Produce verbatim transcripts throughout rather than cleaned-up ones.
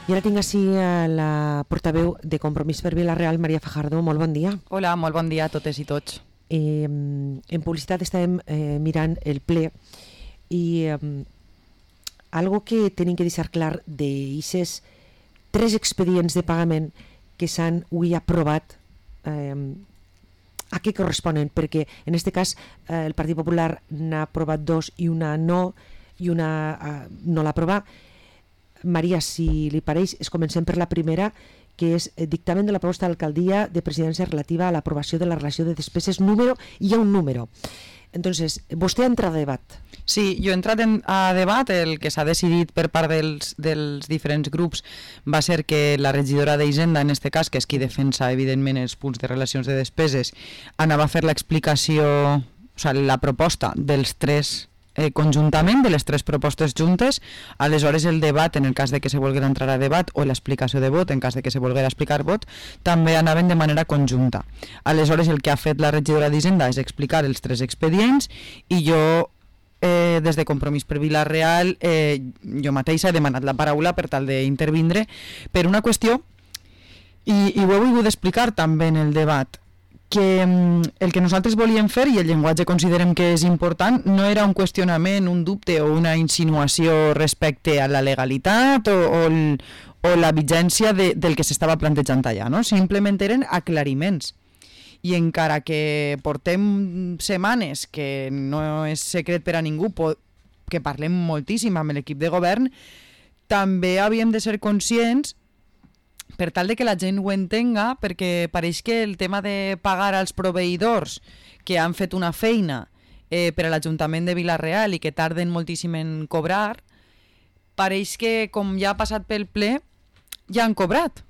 I ara tinc així la portaveu de Compromís per Vila-real, Maria Fajardo. Molt bon dia. Hola, molt bon dia a totes i tots. Eh, en publicitat estàvem eh, mirant el ple i eh, algo que tenim que deixar clar d'aixes tres expedients de pagament que s'han avui aprovat, eh, a què corresponen? Perquè en aquest cas eh, el Partit Popular n'ha aprovat dos i una no, i una eh, no l'ha aprovat. Maria, si li pareix, es comencem per la primera, que és el dictamen de la proposta d'alcaldia de presidència relativa a l'aprovació de la relació de despeses número, i hi ha un número. Entonces, vostè ha entrat a debat. Sí, jo he entrat en, a debat. El que s'ha decidit per part dels, dels diferents grups va ser que la regidora d'Hisenda, en aquest cas, que és qui defensa evidentment els punts de relacions de despeses, anava a fer l'explicació, o sigui, la proposta dels tres Eh, conjuntament, de les tres propostes juntes. Aleshores el debat, en el cas de que se volguera entrar a debat, o l'explicació de vot, en cas de que se volguera explicar vot, també anaven de manera conjunta. Aleshores el que ha fet la regidora d'Hisenda és explicar els tres expedients i jo, eh, des de Compromís per Vila-real, eh, jo mateixa he demanat la paraula per tal d'intervindre per una qüestió, i, i ho he volgut explicar també en el debat, que el que nosaltres volíem fer, i el llenguatge considerem que és important, no era un qüestionament, un dubte o una insinuació respecte a la legalitat o, o, el, o la vigència de, del que s'estava plantejant allà, no? Simplement eren aclariments. I encara que portem setmanes, que no és secret per a ningú, que parlem moltíssim amb l'equip de govern, també havíem de ser conscients, per tal de que la gent ho entenga, perquè pareix que el tema de pagar als proveïdors que han fet una feina eh, per a l'Ajuntament de Vila-real i que tarden moltíssim en cobrar, pareix que com ja ha passat pel ple, ja han cobrat.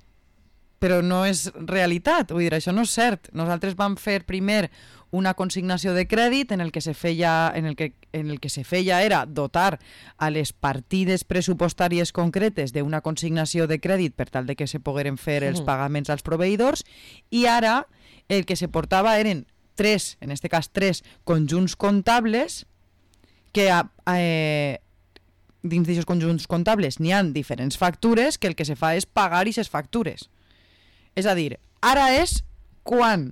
Però no és realitat, vull dir, això no és cert. Nosaltres vam fer primer una consignació de crèdit en el que se feia, en el que, en el que se feia era dotar a les partides pressupostàries concretes d'una consignació de crèdit per tal de que se pogueren fer els pagaments als proveïdors, i ara el que se portava eren tres, en aquest cas tres conjunts comptables que eh, dins d'aquests conjunts comptables n'hi ha diferents factures que el que se fa és pagar aquestes factures. És a dir, ara és quan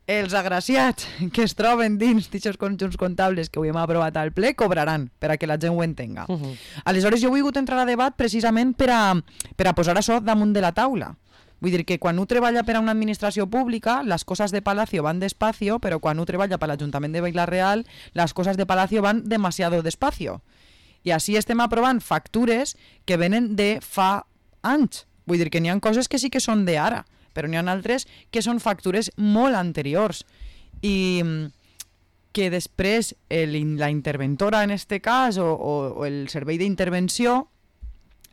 els agraciats que es troben dins d'aquests conjunts comptables que avui hem aprovat al ple cobraran, per a que la gent ho entenga. Uh -huh. Aleshores jo he volgut entrar a debat precisament per a, per a posar això damunt de la taula. Vull dir que quan un treballa per a una administració pública, les coses de Palacio van despacio, però quan un treballa per l'Ajuntament de Vila-real, les coses de Palacio van demasiado despacio. I així estem aprovant factures que venen de fa anys. Vull dir que n'hi ha coses que sí que són d'ara, però n'hi ha altres que són factures molt anteriors i que després el, la interventora en este cas o, o, o el servei d'intervenció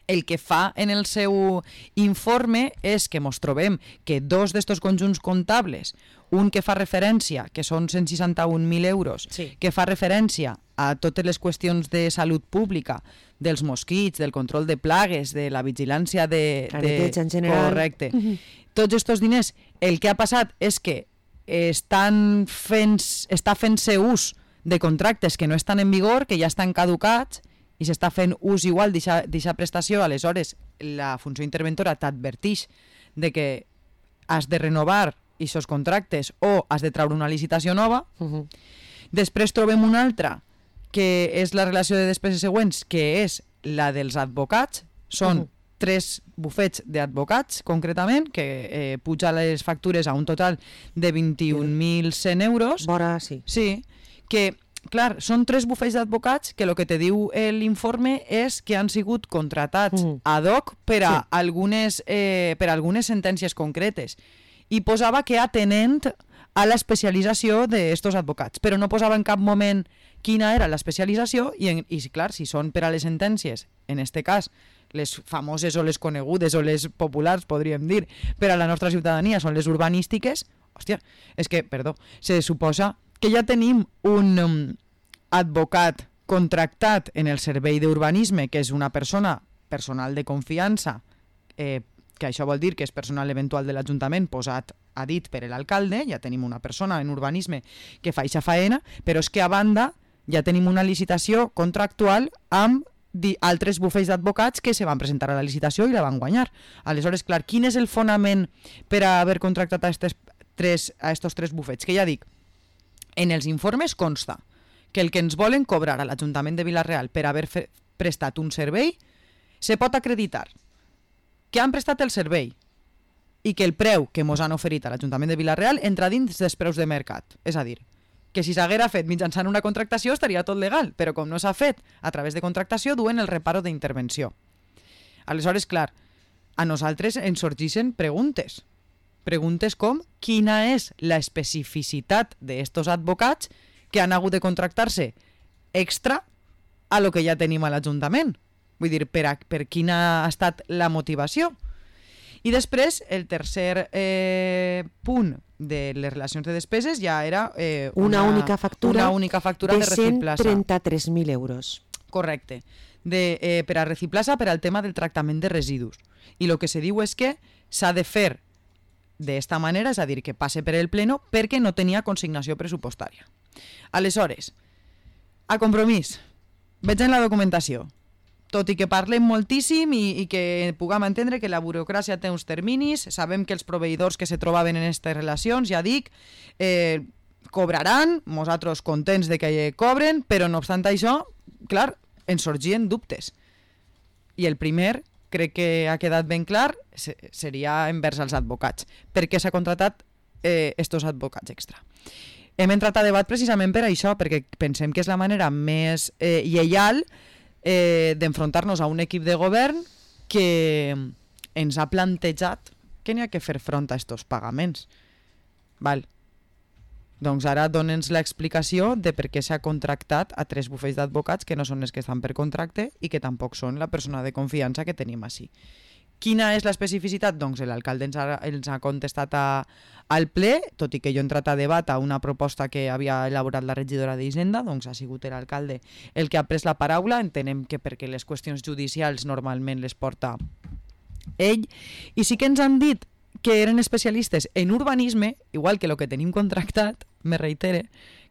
el que fa en el seu informe és que mos trobem que dos d'estos conjunts comptables, un que fa referència, que són cent seixanta-un mil euros, sí, que fa referència a totes les qüestions de salut pública, dels mosquits, del control de plagues, de la vigilància de... de en general. Correcte. Uh-huh. Tots aquests diners, el que ha passat és que estan fent, està fent-se ús de contractes que no estan en vigor, que ja estan caducats, i s'està fent ús igual d'aquesta prestació. Aleshores la funció interventora t'adverteix de que has de renovar aquests contractes o has de treure una licitació nova. Uh-huh. Després trobem una altra que és la relació de despeses següents, que és la dels advocats. Són uh-huh. tres bufets d'advocats, concretament, que eh, puja les factures a un total de vint-i-un mil cent euros. Vora, sí. Sí, que, clar, són tres bufets d'advocats que el que te diu l'informe és que han sigut contratats uh-huh. ad hoc per a, sí, algunes, eh, per a algunes sentències concretes. I posava que atenent a l'especialització d'estos advocats, però no posava en cap moment quina era l'especialització i, en, i clar, si són per a les sentències, en este cas, les famoses o les conegudes o les populars, podríem dir, per a la nostra ciutadania són les urbanístiques, hòstia, és que, perdó, se suposa que ja tenim un um, advocat contractat en el servei d'urbanisme, que és una persona, personal de confiança, eh, que això vol dir que és personal eventual de l'Ajuntament posat a dit per l'alcalde, ja tenim una persona en urbanisme que fa eixa faena, però és que a banda ja tenim una licitació contractual amb altres bufets d'advocats que se van presentar a la licitació i la van guanyar. Aleshores, clar, quin és el fonament per haver contractat a estos tres, a estos tres bufets? Que ja dic, en els informes consta que el que ens volen cobrar a l'Ajuntament de Vila-real per haver fe, prestat un servei se pot acreditar que han prestat el servei i que el preu que mos han oferit a l'Ajuntament de Vila-real entra dins dels preus de mercat. És a dir, que si s'haguera fet mitjançant una contractació estaria tot legal, però com no s'ha fet a través de contractació duen el reparo d'intervenció. Aleshores, clar, a nosaltres ens sorgeixen preguntes. Preguntes com quina és la especificitat d'estos advocats que han hagut de contractar-se extra a lo que ja tenim a l'Ajuntament. Vull dir, per, a, per quina ha estat la motivació. I després, el tercer eh, punt de les relacions de despeses ja era eh, una, una única factura, una única factura de, de Reciplaça. cent trenta-tres mil euros. Correcte. De, eh, per a Reciplaça per al tema del tractament de residus. I el que se diu és que s'ha de fer d'esta manera, és a dir, que passe per el pleno perquè no tenia consignació pressupostària. Aleshores, a Compromís, veig en la documentació, tot i que parlem moltíssim i, i que puguem entendre que la burocràcia té uns terminis, sabem que els proveïdors que se trobaven en aquestes relacions, ja dic, eh, cobraran, nosaltres contents de que cobren, però no obstant això, clar, ens sorgien dubtes. I el primer, crec que ha quedat ben clar, seria envers els advocats. Per què s'ha contratat eh, estos advocats extra? Hem entrat a debat precisament per això, perquè pensem que és la manera més eh, lleial eh, d'enfrontar-nos a un equip de govern que ens ha plantejat que n'hi ha que fer front a estos pagaments. Val. Doncs ara dona'ns l'explicació de per què s'ha contractat a tres bufets d'advocats que no són els que estan per contracte i que tampoc són la persona de confiança que tenim així. Quina és l'especificitat? Doncs l'alcalde ens ha, ens ha contestat a, al ple, tot i que jo he entrat a debat a una proposta que havia elaborat la regidora d'Hisenda, doncs ha sigut l'alcalde el que ha pres la paraula, entenem que perquè les qüestions judicials normalment les porta ell, i sí que ens han dit que eren especialistes en urbanisme, igual que el que tenim contractat, me reitere,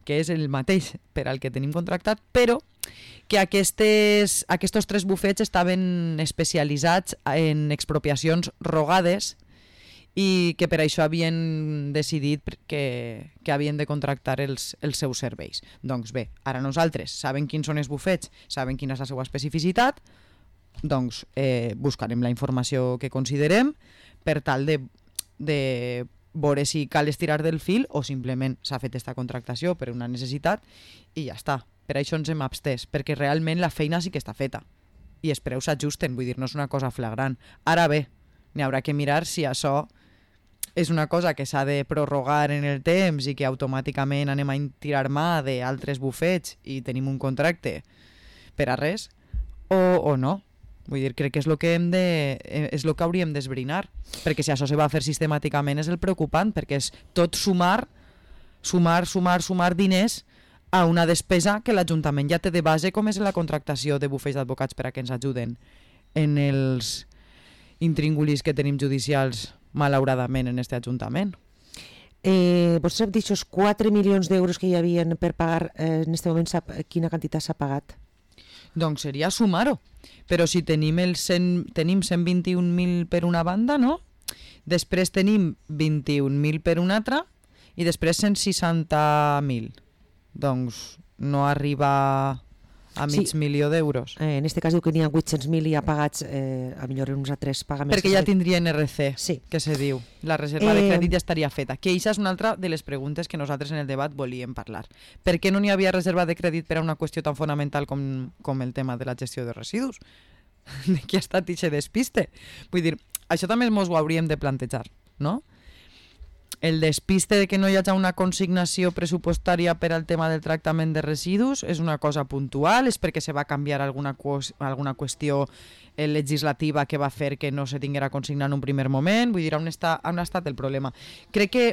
que és el mateix per al que tenim contractat, però que aquestes, aquests tres bufets estaven especialitzats en expropiacions rogades i que per això havien decidit que, que havien de contractar els, els seus serveis. Doncs bé, ara nosaltres sabem quins són els bufets, sabem quina és la seva especificitat, doncs eh, buscarem la informació que considerem per tal de, de veure si cal estirar del fil o simplement s'ha fet aquesta contractació per una necessitat i ja està. Per això ens hem abstès, perquè realment la feina sí que està feta i els preus s'ajusten, vull dir, no és una cosa flagrant. Ara bé, n'hi haurà que mirar si això és una cosa que s'ha de prorrogar en el temps i que automàticament anem a tirar mà d'altres bufets i tenim un contracte per a res, o, o no. Vull dir, crec que és el que, hem de, és el que hauríem d'esbrinar, perquè si això se va fer sistemàticament és el preocupant, perquè és tot sumar, sumar, sumar, sumar diners a una despesa que l'Ajuntament ja té de base, com és la contractació de bufets d'advocats per a que ens ajuden en els intríngulis que tenim judicials, malauradament, en aquest Ajuntament. Eh, vostè sap d'aixòs quatre milions d'euros que hi havia per pagar, eh, en aquest moment sap quina quantitat s'ha pagat? Doncs seria sumar-ho. Però si tenim, el cent, tenim cent vint-i-un mil per una banda, no? Després tenim vint-i-un mil per una altra i després cent seixanta mil. Doncs no arriba a mig sí. milió d'euros. Eh, en aquest cas diu que n'hi ha vuit-cents mil ja pagats, eh, a millor uns altres pagaments. Perquè ja tindria N R C, sí. que se diu. La reserva eh... de crèdit ja estaria feta. Que això és una altra de les preguntes que nosaltres en el debat volíem parlar. Per què no n'hi havia reserva de crèdit per a una qüestió tan fonamental com, com el tema de la gestió de residus? De qui ha estat aquest despiste? Vull dir, això també ens ho hauríem de plantejar, no? El despiste de que no hi hagi una consignació pressupostària per al tema del tractament de residus és una cosa puntual, és perquè se va canviar alguna, alguna qüestió legislativa que va fer que no se tinguera consignat en un primer moment. Vull dir, on està, on ha estat el problema? Crec que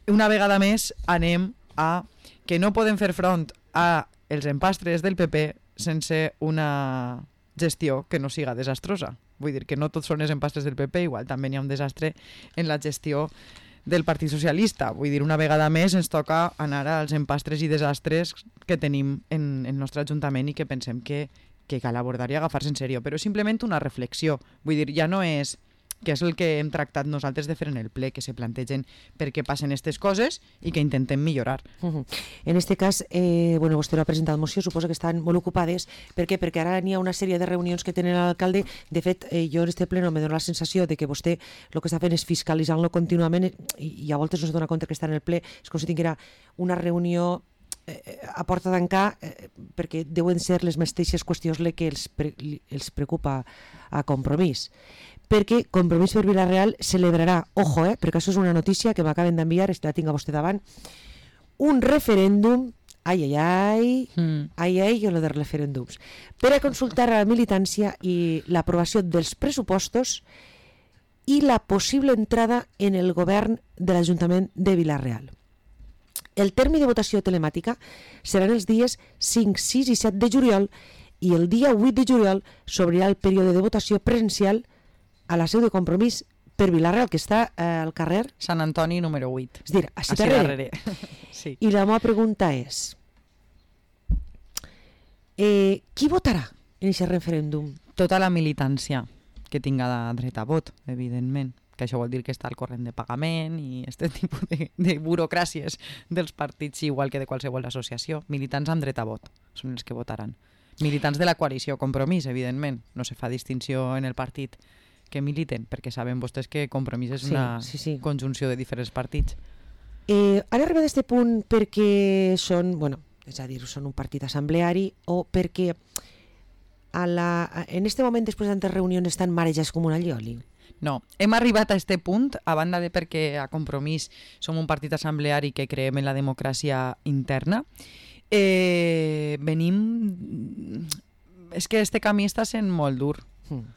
una vegada més anem a que no podem fer front a els empastres del P P sense una gestió que no siga desastrosa. Vull dir que no tots són els empastres del P P, igual també n'hi ha un desastre en la gestió del Partit Socialista. Vull dir, una vegada més ens toca anar als empastres i desastres que tenim en el nostre Ajuntament i que pensem que, que cal abordar i agafar-se en sèrio, però simplement una reflexió. Vull dir, ja no és que és el que hem tractat nosaltres de fer en el ple, que se plantegen per què passen aquestes coses i que intentem millorar. Uh-huh. En este cas, eh, bueno, vostè no ha presentat moció, suposo que estan molt ocupades. Per què? Perquè ara n'hi ha una sèrie de reunions que tenen l'alcalde. De fet, eh, jo en este pleno me dóna la sensació de que vostè el que està fent és fiscalitzant-lo contínuament i, i a voltes no es dona compte que està en el ple. És com si tinguera una reunió eh, a porta tancar eh, perquè deuen ser les mateixes qüestions le que els, pre, els preocupa a Compromís. Perquè Compromís per Vila-real celebrarà, ojo, eh, perquè això és una notícia que m'acaben d'enviar, la tinc a vostè davant, un referèndum, ai, ai, ai, mm. ai, ai, i lo de referèndums, per a consultar a la militància i l'aprovació dels pressupostos i la possible entrada en el govern de l'Ajuntament de Vila-real. El terme de votació telemàtica seran els dies cinc, sis i set de juliol i el dia vuit de juliol s'obrirà el període de votació presencial a la seu de Compromís per Vila-real, que està eh, al carrer Sant Antoni número vuit. És dir, així darrere. Sí. I la meva pregunta és, eh, qui votarà en aquest referèndum? Tota la militància que tinga dret a vot, evidentment, que això vol dir que està al corrent de pagament i aquest tipus de, de burocràcies dels partits, igual que de qualsevol associació. Militants amb dret a vot són els que votaran. Militants de la coalició Compromís, evidentment. No se fa distinció en el partit que militen, perquè saben vostès que Compromís és sí, una sí, sí. conjunció de diferents partits. Eh, han arribat a aquest punt perquè són, bueno, és a dir, són un partit assembleari o perquè a la, en este moment, després de tantes reunions, estan marejats com una allioli? No, hem arribat a aquest punt, a banda de perquè a Compromís som un partit assembleari que creiem en la democràcia interna. Eh, venim... És que este camí està sent molt dur. Mm.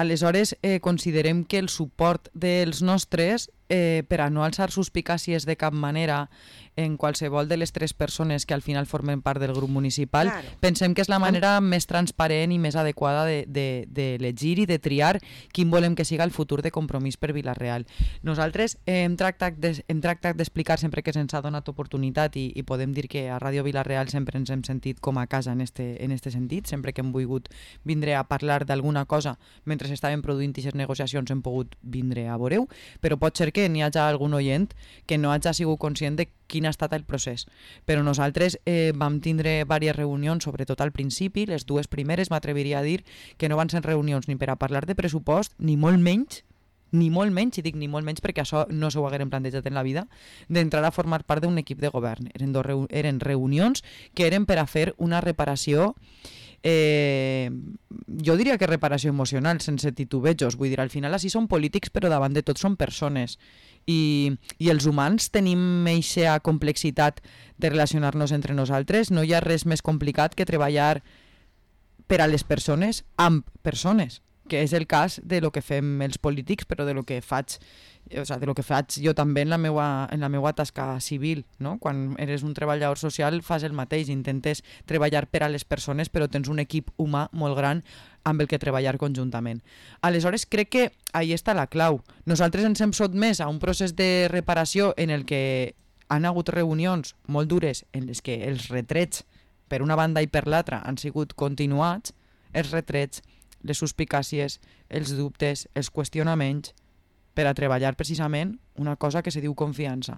Aleshores, eh, considerem que el suport dels nostres, eh, per a no alçar suspicàcies de cap manera en qualsevol de les tres persones que al final formen part del grup municipal, claro. Pensem que és la manera més transparent i més adequada d'elegir de, de, de i de triar quin volem que siga el futur de Compromís per Vila-real. Nosaltres eh, hem tractat d'explicar de, sempre que se'ns ha donat oportunitat i, i podem dir que a Ràdio Vila-real sempre ens hem sentit com a casa en este, en este sentit, sempre que hem volgut vindre a parlar d'alguna cosa mentre s'estaven produint aquestes negociacions hem pogut vindre a veure-ho, però pot ser que n'hi hagi algun oient que no hagi sigut conscient de quin ha estat el procés. Però nosaltres eh, vam tindre diverses reunions, sobretot al principi, les dues primeres m'atreviria a dir que no van ser reunions ni per a parlar de pressupost, ni molt menys, ni molt menys, i dic ni molt menys perquè això no s'ho hagueren plantejat en la vida, d'entrar a formar part d'un equip de govern. Eren, dos reu eren reunions que eren per a fer una reparació Eh, jo diria que reparació emocional sense titubejos, vull dir, al final així són polítics però davant de tot són persones i, i els humans tenim eixa complexitat de relacionar-nos entre nosaltres, no hi ha res més complicat que treballar per a les persones amb persones, que és el cas de lo que fem els polítics, però de lo que faig, o sigui, de lo que faig jo també en la meua, en la meua tasca civil, no? Quan eres un treballador social fas el mateix, intentes treballar per a les persones, però tens un equip humà molt gran amb el que treballar conjuntament. Aleshores, crec que ahí està la clau. Nosaltres ens hem sotmès a un procés de reparació en el que han hagut reunions molt dures en les que els retrets per una banda i per l'altra han sigut continuats, els retrets, les suspicàcies, els dubtes, els qüestionaments, per a treballar precisament una cosa que se diu confiança.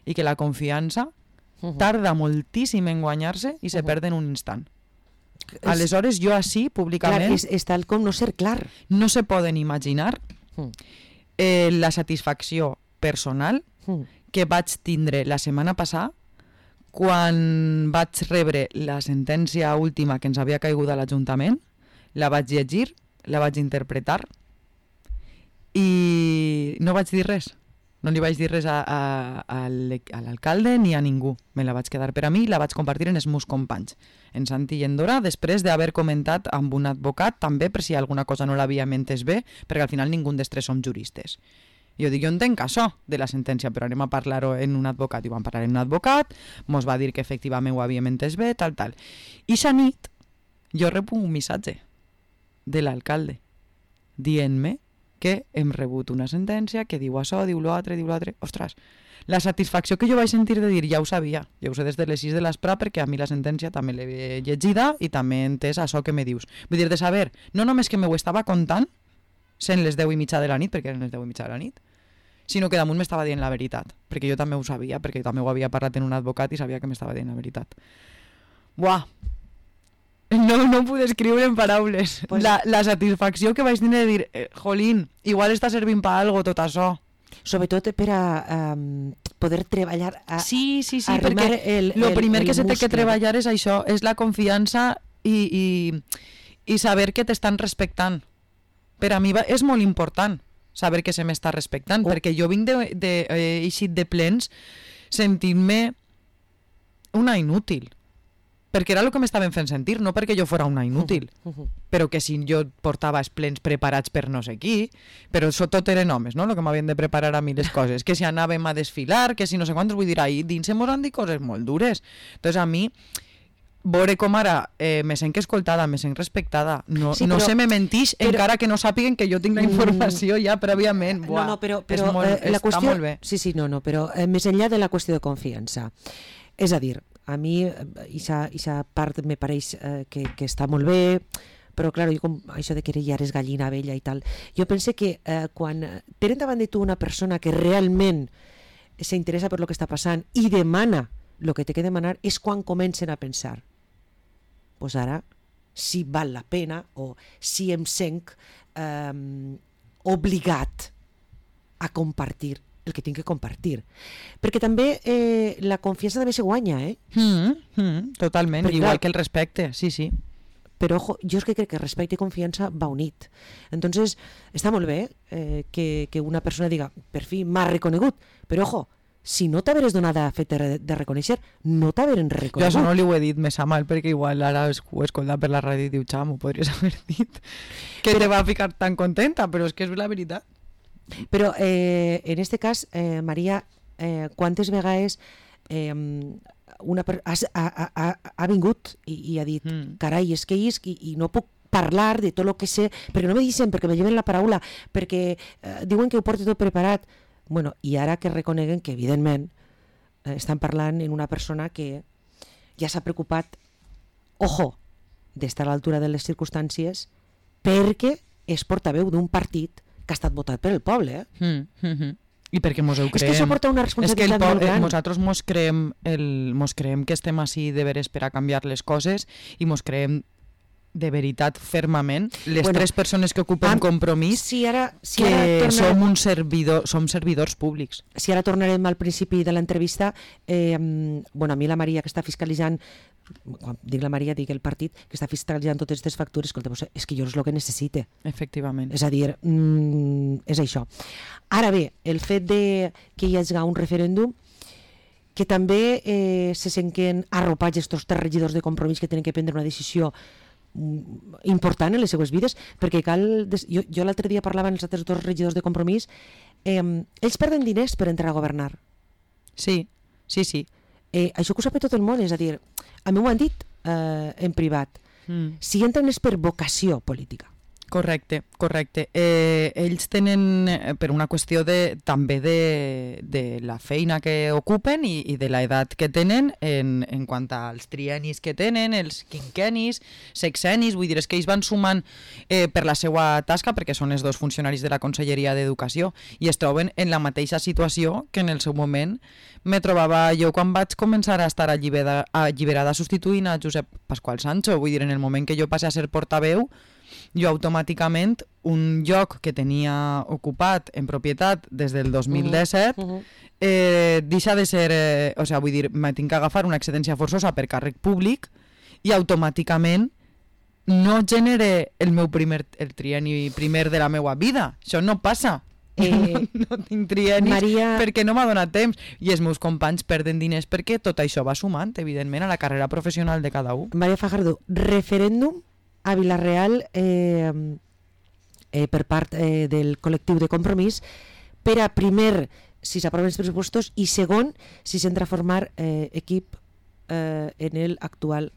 I que la confiança uh-huh. tarda moltíssim en guanyar-se i se uh-huh. perd en un instant. És... Aleshores, jo així, públicament... Clar, és, és tal com no ser clar. No se poden imaginar uh-huh. eh, la satisfacció personal uh-huh. que vaig tindre la setmana passada quan vaig rebre la sentència última que ens havia caigut a l'Ajuntament. La vaig llegir, la vaig interpretar i no vaig dir res. No li vaig dir res a, a, a l'alcalde ni a ningú. Me la vaig quedar per a mi i la vaig compartir en els meus companys, en Santi i en Dora, després d'haver comentat amb un advocat, també per si alguna cosa no l'havíem entès bé, perquè al final ningú dels tres som juristes. Jo dic, jo entenc això de la sentència, però anem a parlar-ho en un advocat. I vam parlar en un advocat, mos va dir que efectivament ho havíem entès bé, tal, tal. I aquesta nit jo rebo un missatge de l'alcalde dient-me que hem rebut una sentència que diu això, diu l'altre, diu l'altre. Ostres, la satisfacció que jo vaig sentir de dir, ja ho sabia, ja ho sé des de les sis de l'esprà, perquè a mi la sentència també l'he llegida i també he entès això que me dius. Vull dir, de saber, no només que m'ho estava contant, sent les deu i mitja de la nit, perquè eren les deu i mitja de la nit, sinó que damunt m'estava dient la veritat, perquè jo també ho sabia, perquè també ho havia parlat en un advocat i sabia que m'estava dient la veritat. Buah! No, no ho puc descriure en paraules. Pues... La, la satisfacció que vaig tenir de dir, eh, jolín, igual està servint per algo tot això. Sobretot per a um, poder treballar a, sí, sí, sí, perquè el, el primer el que se té que treballar és això, és la confiança i, i, i saber que t'estan respectant. Per a mi va, és molt important saber que se m'està respectant, oh. perquè jo vinc de, de, eh, eixit de plens sentint-me una inútil. Perquè era el que m'estaven fent sentir, no perquè jo fora una inútil, uh -huh, uh -huh. però que si jo portava els plens preparats per no sé qui, però això tot eren homes, no?, el que m'havien de preparar a mi les coses, que si anàvem a desfilar, que si no sé quantos, vull dir, ahir dins mos han dit coses molt dures. Entonces a mi, veure com ara eh, me sent escoltada, me sent respectada, no, sí, però, no se me mentix, però, encara que no sàpiguen que jo tinc la informació ja prèviament. Buah, no, no, però, però molt, eh, la qüestió, molt bé. Sí, sí, no, no, però eh, més enllà de la qüestió de confiança, és a dir, a mi aquesta part me pareix eh, que, que està molt bé, però clar, jo com això de que ja eres gallina vella i tal, jo pense que eh, quan tenen davant de tu una persona que realment s'interessa per lo que està passant i demana el que té que demanar, és quan comencen a pensar, pues ara si val la pena o si em sent eh, obligat a compartir el que tinc que compartir. Perquè també eh, la confiança també se guanya, eh? Mm, mm, totalment, perquè, igual clar, que el respecte, sí, sí. Però, ojo, jo és que crec que respecte i confiança va unit. Entonces, està molt bé eh, que, que una persona diga, per fi m'ha reconegut, però, ojo, si no t'haveres donat a fet de, de reconèixer, no t'haveren reconegut. Jo això no li ho he dit més a mal, perquè igual ara ho he escoltat per la ràdio i diu, xam, ho podries haver dit, que però, te va ficar tan contenta, però és que és la veritat. Però eh, en este cas, eh, Maria, eh, quantes vegades eh, una per... ha, ha, ha, ha vingut i, i ha dit, mm. carai, és que isc i, i no puc parlar de tot el que sé, perquè no me dicen, perquè me lleven la paraula, perquè eh, diuen que ho porto tot preparat. Bueno, i ara que reconeguen que, evidentment, eh, estan parlant en una persona que ja s'ha preocupat, ojo, d'estar a l'altura de les circumstàncies, perquè és portaveu d'un partit que ha estat votat per el poble. Eh? Mm, mm, mm. I perquè mos ho creem. És que això porta una responsabilitat molt gran. Nosaltres mos creem, el, mos creem que estem així de veres per a canviar les coses i mos creem de veritat fermament les bueno, tres persones que ocupen amb, Compromís si ara, si que ara tornarem, som, un servidor, som servidors públics. Si ara tornarem al principi de l'entrevista, eh, bueno, a mi la Maria que està fiscalitzant, quan dic la Maria dic el partit que està fiscalitzant totes aquestes factures, escolta, és que jo és el que necessite. Efectivament. És a dir, mm, és això. Ara bé, el fet de que hi hagi un referèndum que també eh, se senten arropats estos tres regidors de Compromís que tenen que prendre una decisió important en les seues vides, perquè cal... Des... Jo, jo l'altre dia parlava amb els altres dos regidors de Compromís, eh, ells perden diners per entrar a governar. Sí, sí, sí. Eh, això que ho sap tot el món, és a dir, a mi ho han dit eh, en privat, mm. si entren és per vocació política. Correcte, correcte. Eh, ells tenen, eh, per una qüestió de, també de, de la feina que ocupen i, i de l'edat que tenen en, en quant als trienis que tenen, els quinquenis, sexenis, vull dir, és que ells van sumant eh, per la seva tasca, perquè són els dos funcionaris de la Conselleria d'Educació, i es troben en la mateixa situació que en el seu moment me trobava jo quan vaig començar a estar alliberada, alliberada substituint a Josep Pasqual Sancho. Vull dir, en el moment que jo passé a ser portaveu, jo automàticament un lloc que tenia ocupat en propietat des del dos mil disset uh -huh. eh, deixa de ser, eh, o sigui, vull dir, me tinc que agafar una excedència forçosa per càrrec públic i automàticament no genere el meu primer, el trienni primer de la meva vida. Això no passa. Eh, no, no tinc triennis Maria... perquè no m'ha donat temps i els meus companys perden diners perquè tot això va sumant, evidentment, a la carrera professional de cada un. Maria Fajardo, referèndum a Vila-real eh, eh, per part eh, del col·lectiu de Compromís per a primer si s'aproven els pressupostos i segon si s'entra a formar eh, equip eh, en el actual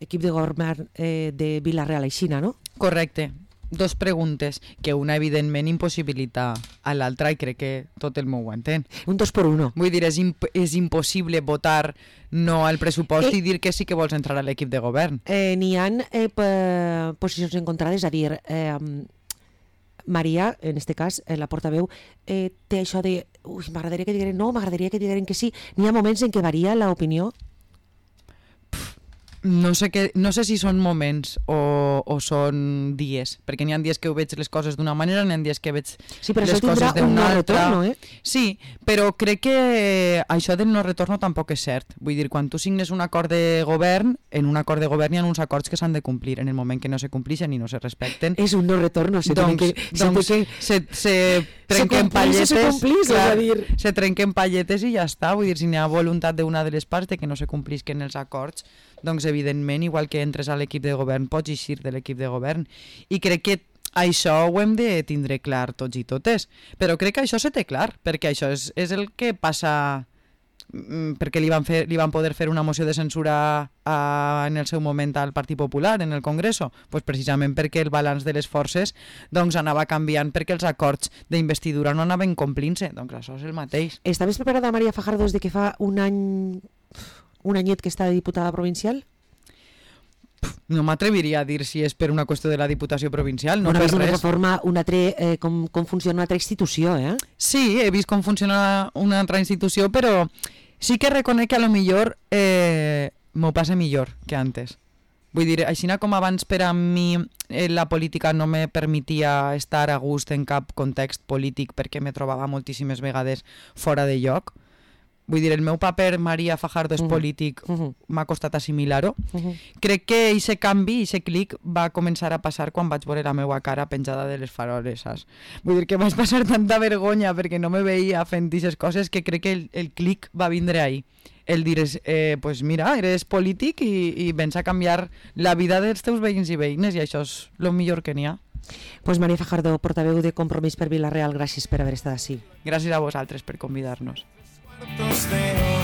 equip de govern eh, de Vila-real Aixina, no? Correcte. dos preguntes, que una evidentment impossibilita a l'altra i crec que tot el meu ho entén. Un dos per uno. Vull dir, és, imp és impossible votar no al pressupost eh, i dir que sí que vols entrar a l'equip de govern. Eh, N'hi ha eh, posicions encontrades, a dir... Eh, Maria, en este cas, eh, la portaveu, eh, té això de ui, m'agradaria que digueren no, m'agradaria que digueren que sí. N'hi ha moments en què varia l'opinió? No sé, que, no sé si són moments o, o són dies, perquè n'hi ha dies que ho veig les coses d'una manera, n'hi ha dies que veig sí, però les coses d'una un altra. Retorno, eh? Sí, però crec que això del no retorno tampoc és cert. Vull dir, quan tu signes un acord de govern, en un acord de govern hi ha uns acords que s'han de complir. En el moment que no se complixen i no se respecten... És un no retorno. Se doncs, que, doncs se, se, se trenquen se palletes... Se complís, clar, és a dir... Se trenquen palletes i ja està. Vull dir, si n'hi ha voluntat d'una de les parts de que no se complisquen els acords, doncs evidentment, igual que entres a l'equip de govern, pots eixir de l'equip de govern. I crec que això ho hem de tindre clar tots i totes. Però crec que això se té clar, perquè això és, és el que passa... perquè li van, fer, li van poder fer una moció de censura a, en el seu moment al Partit Popular, en el Congreso, pues precisament perquè el balanç de les forces doncs, anava canviant perquè els acords d'investidura no anaven complint-se. Doncs això és el mateix. Estaves preparada, Maria Fajardo, des de que fa un any... un anyet que està de diputada provincial? No m'atreviria a dir si és per una qüestió de la Diputació Provincial, no bueno, per res. Una reforma, una altre, eh, com, com funciona una altra institució, eh? Sí, he vist com funciona una altra institució, però sí que reconec que a lo millor eh, m'ho passa millor que antes. Vull dir, així com abans per a mi eh, la política no me permetia estar a gust en cap context polític perquè me trobava moltíssimes vegades fora de lloc. Vull dir, el meu paper, Maria Fajardo, és uh -huh. polític, uh -huh. m'ha costat assimilar-ho. Uh -huh. Crec que aquest canvi, aquest clic, va començar a passar quan vaig veure la meva cara penjada de les faroles, saps? Vull dir que vaig passar tanta vergonya perquè no me veia fent aquestes coses que crec que el, el clic va vindre ahí. El dir, eh, pues mira, eres polític i, i vens a canviar la vida dels teus veïns i veïnes i això és el millor que n'hi ha. Pues Maria Fajardo, portaveu de Compromís per Vila-real, gràcies per haver estat així. Gràcies a vosaltres per convidar-nos. Cuartos de